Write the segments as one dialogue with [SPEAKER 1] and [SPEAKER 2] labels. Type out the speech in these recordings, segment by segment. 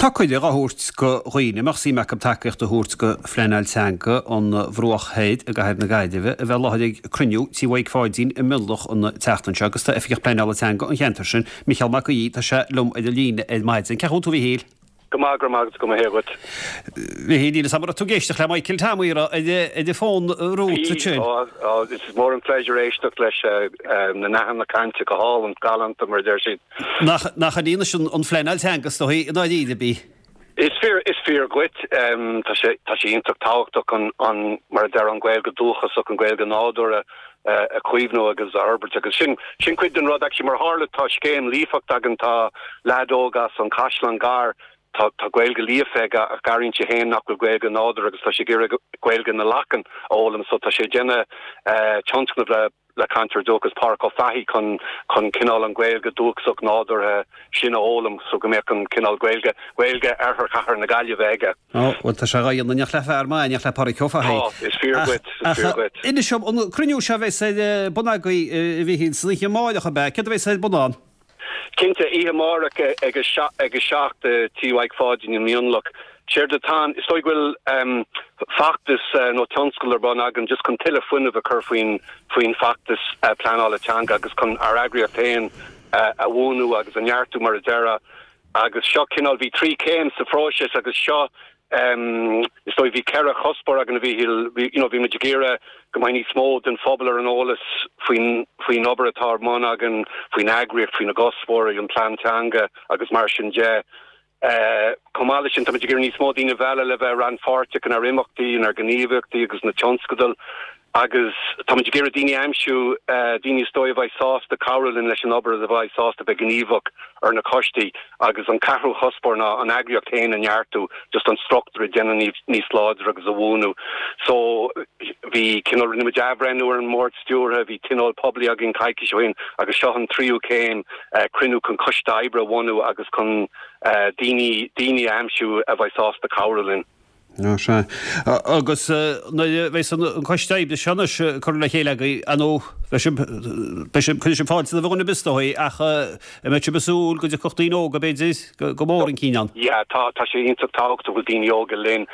[SPEAKER 1] Tá cuireadh á thabhairt do dhaoine a mbeadh suim acu tacaíocht a thabhairt do phleanáil teanga an Bhruach Thoir i gcathair na Gaillimhe a bheith i láthair ag cruinniú Tí Mhaidhc Pháidín i Mionlach an tseachtain seo agus tá Oifigeach Pleanála Teanga an cheantair sin, Micheál Mac Aoidh, tá sé liom ar an líne ar maidin. Cén chaoi a bhfuil tú a Mhichíl?
[SPEAKER 2] Go maith, go raibh maith agat, go maith dhuit.
[SPEAKER 1] Mhichíl, níl 'fhios a'm an raibh tú ag éisteacht le Michael Tom ar an bhfón romhat
[SPEAKER 2] ansin. Bhí, is mór an pléisiúr éisteacht leis na nathanna cainte go hálainn, galánta mar a deir siad.
[SPEAKER 1] Nach, nach í anois an phleanáil teanga is dóigh i ndáiríre bhí.
[SPEAKER 2] Is fíor, is fíor dhuit. Tá sé, tá sé iontach tábhachtach an, an, mar a deir an Ghaeilge dúchasach, an Ghaeilge nádúrtha a chaomhnú agus a fhorbairt agus sin, sin cuid den rud actually mar tharla tá scéim líofacht againn, tá leaid óg as an Chaisleán Gar, tá, tá Gaeilge líofa aige ach airíonn sé féin nach bhfuil Gaeilge nádúrtha agus tá sé ag iarraidh Gaeilge na Lachan a fhoghlaim so tá sé ag déanamh tionscnamh le le cainteoir dúchais Páraic Ó Fathaigh chun chun cineál an Ghaeilge dúchasach nádúrtha sin a fhoghlaim so go mbeadh an cineál Gaeilge, Gaeilge Oirthear Chathair na Gaillimhe aige.
[SPEAKER 1] Ó, bhuel tá sé dhá dhéanamh in éineacht le fear maith, in éineacht le Páraic Ó
[SPEAKER 2] Fathaigh. Tá, is fíor dhuit, is fíor dhuit.
[SPEAKER 1] Inis dom, an cruinniú seo a bheas ar bun agaibh, a Mhichíl, san oíche amáireach, ab ea? Céard a bheas ar bun ann?
[SPEAKER 2] Cinnte, oíche amárach ag a 7 i Tí Mhaidhc Pháidín i Mionlach. Séard atá ann, is dóigh go bhfuil feachtas nó tionscadal ar bun againn just chun tuilleadh fuinnimh a chur faoin faoin bhfeachtas pleanála teanga agus chun ár eagraíocht féin a bhuanú agus a neartú mar a déarfá. Agus seo cineál, bhí trí chéim sa phróiseas agus seo Is dóigh, bhí 4 chuspóir againn a Mhíchíl, bhí, you know, bhí muid ag iarraidh go mbeidh níos mó den phobal ar an eolas faoin, faoin obair atá ar bun againn, faoin eagraíocht, faoina gcuspóirí, an plean teanga agus mar sin de. Chomh maith leis sin, tá muid ag iarraidh níos mó daoine a mhealladh le bheith rannpháirteach inár imeachtaí, inár ngníomhaíochtaí agus na tionscadail. Agus táimid ag iarraidh daoine a aimsiú, daoine is dóigh a bheidh sásta cabhrú linn leis an obair agus a bheidh sásta bheith gníomhach ar na coistí. Agus an ceathrú chuspóir ná an eagraíocht féin a neartú, just an struchtúr a dhéanamh níos láidre agus a bhuanú. So, bhí cineál, rinne muid athbhreithniú ar an mbord stiúrtha, bhí tionól poiblí againn coicís ó shin agus seo an tríú céim, cruinniú chun coiste oibre a bhunú agus chun daoine, daoine a aimsiú a bheidh sásta cabhrú linn.
[SPEAKER 1] Ó sea. Agus nuair a bheas an coiste oibre seo anois curtha le chéile agaibh, ar ndóigh, beidh sibh, beidh sibh, cuirfidh sibh fáilte roimh dhuine ar bith is dóigh, ach an mbeidh sibh ag súil go dtiocfadh daoine óga, b'fhéidir, go mór chun cinn ann?
[SPEAKER 2] Yeah, tá, tá sé iontach tábhachtach go bhfuil daoine óga linn.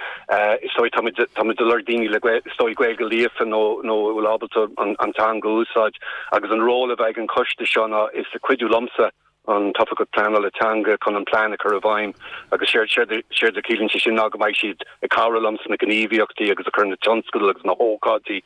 [SPEAKER 2] Is dóigh, táimid, táimid ag lorg daoine le Gael, is dóigh Gaeilge líofa nó, nó a bhfuil ábalta an, an teanga a úsáid. Agus an ról a bheidh ag an choiste seo ná, is cuidiú liomsa, an tOifigeach Pleanála Teanga chun an plean a chur i bhfeidhm agus séard séard a chiallaíonn sé sin ná go mbeidh siad ag cabhrú liom sna gníomhaíochtaí agus ag cur na tionscadail agus na hócáidí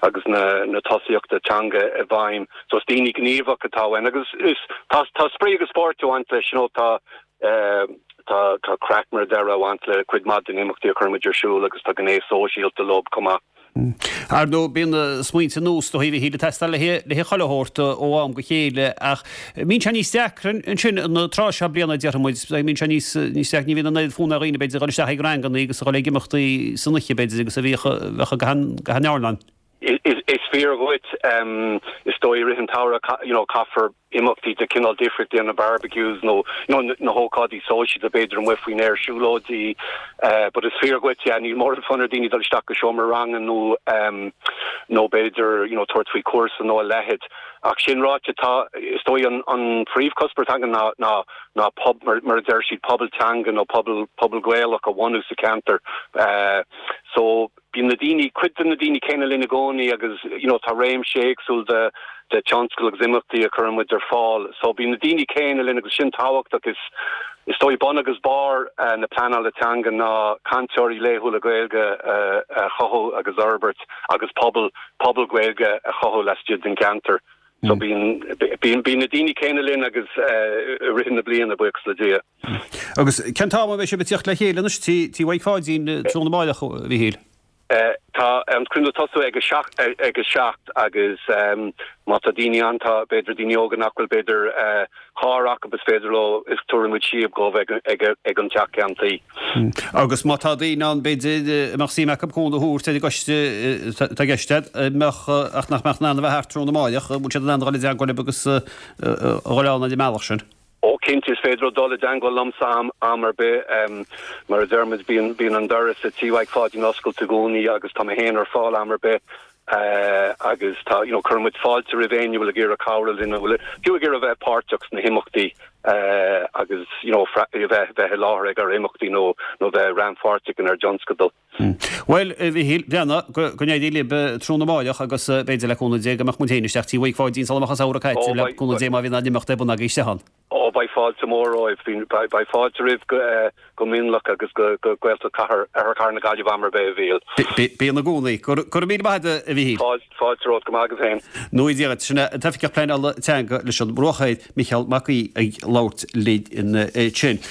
[SPEAKER 2] agus na na tosaíochta teanga i bhfeidhm. So is daoine gníomhach atá uainn agus is tá tá spraoi agus spórt ag baint leis, you know tá tá tá craic mar a déarfá ag baint le cuid maith den imeachtaí a chuireann muid ar siúl agus tá gné sóisialta leo chomh maith.
[SPEAKER 1] Ar ndóigh, bíonn smaointe nua is dóigh a Mhichíl ag teastáil le haghaidh chuile shórt ó am go chéile ach mbíonn sé níos deacra ansin an tráth seo bliana, déarfaidh muid, mbíonn sé níos deacra, ní bhíonn an oiread fonn ar dhaoine b'fhéidir a dhul isteach ag ranganna agus a dhul ag imeachtaí san oíche b'fhéidir agus a bhíodh, bheadh ag achan airneán.
[SPEAKER 2] Is fíor dhuit, is dóigh i rith an tsamhraidh you know caithfear imeachtaí de chineál difríocht déanamh, barbecues nó you know na hócáidí sóisialta b'fhéidir amuigh faoin aer, siúlóidí but is fíor dhuit yeah níl mórán fonn ar daoine dul isteach go seomra ranga nó nó b'fhéidir you know tabhairt faoi chúrsa nó a leithéid. Ach sin ráite tá is dóigh an an phríomhchuspóir atá againn ná ná ná pob mar mar a deir siad pobal teanga nó pobal pobal Gaelach a bhunú sa cheantar so Bíonn na daoine, cuid de na daoine céanna linn i gcónaí agus you know tá réimse éagsúil de de tionscadail agus imeachtaí a chuireann muid ar fáil. So bíonn na daoine céanna linn agus sin tábhachtach. Is is dóigh bun agus barr na pleanála teanga ná cainteoirí laethúla Gaeilge a chothú agus a fhorbairt agus pobal pobal Gaeilge a chothú laistigh den gceantar. So bíonn bíonn bíonn na daoine céanna linn agus i rith na bliana, buíochas le Dia.
[SPEAKER 1] Agus cén t-am a bheidh sibh ag tíocht le chéile anois Tí Mhaidhc Pháidín tráthnóna amáireach, a Mhichíl?
[SPEAKER 2] Tá an cruinniú ag tosú ag a ag a 7 agus má tá daoine ann, tá b'fhéidir daoine óga nach bhfuil b'fhéidir carr acu is féidir leo, is tabharfaidh muid síob dhóibh ag ag ag an teach ceann tuí.
[SPEAKER 1] Agus má tá daoine ann b'fhéidir a mbeadh suim acu cúnamh a thabhairt ar an gcoiste atá i gceist agat, mbeadh ach nach mbeadh in ann a bheith thart tráthnóna amáireach, an bhfuil siad in ann a dhul i dteagmháil libh agus a dhul ann ar an mbealach sin?
[SPEAKER 2] Ó cinnte, is féidir leo dul i dteagmháil liomsa am am ar bith. Mar a deir muid, bíonn bíonn an doras i Tí Mhaidhc Pháidín oscailte i gcónaí agus tá mé féin ar fáil am ar bith. Agus tá, you know, cuireann muid fáilte roimh éinne a bhfuil ag iarraidh cabhrú linn, a bhfuil fiú ag iarraidh a bheith páirteach sna himeachtaí agus, you know, a bheith bheith i láthair ag ár imeachtaí nó nó bheith rannpháirteach inár dtionscadal.
[SPEAKER 1] Bhuel, a Mhichíl, Breathnaigh, go go n-éirí libh tráthnóna amáireach agus b'fhéidir le cúnamh Dé go mbeadh muid féin isteach Tí Mhaidhc Pháidín sula mbeadh an samhradh caite, le cúnamh Dé má bhíonn aon imeacht ar bun agaibh istigh ann.
[SPEAKER 2] Ó, beidh fáilte mhór romhaibh. Beidh fáilte roimh go Mionlach agus go Gaeltacht Chathair, Oirthear Chathair na Gaillimhe am ar bith, a Mhíchíl.
[SPEAKER 1] Bíonn i gcónaí. Go raibh míle maith agat, a Mhichíl.
[SPEAKER 2] Fáilte romhat, go maith agat féin.
[SPEAKER 1] Nó Dia duit. Sin é an tOifigeach Pleanála Teanga leis an mBruach Thoir, Micheál Mac Aoidh, ag labhairt linn ansin.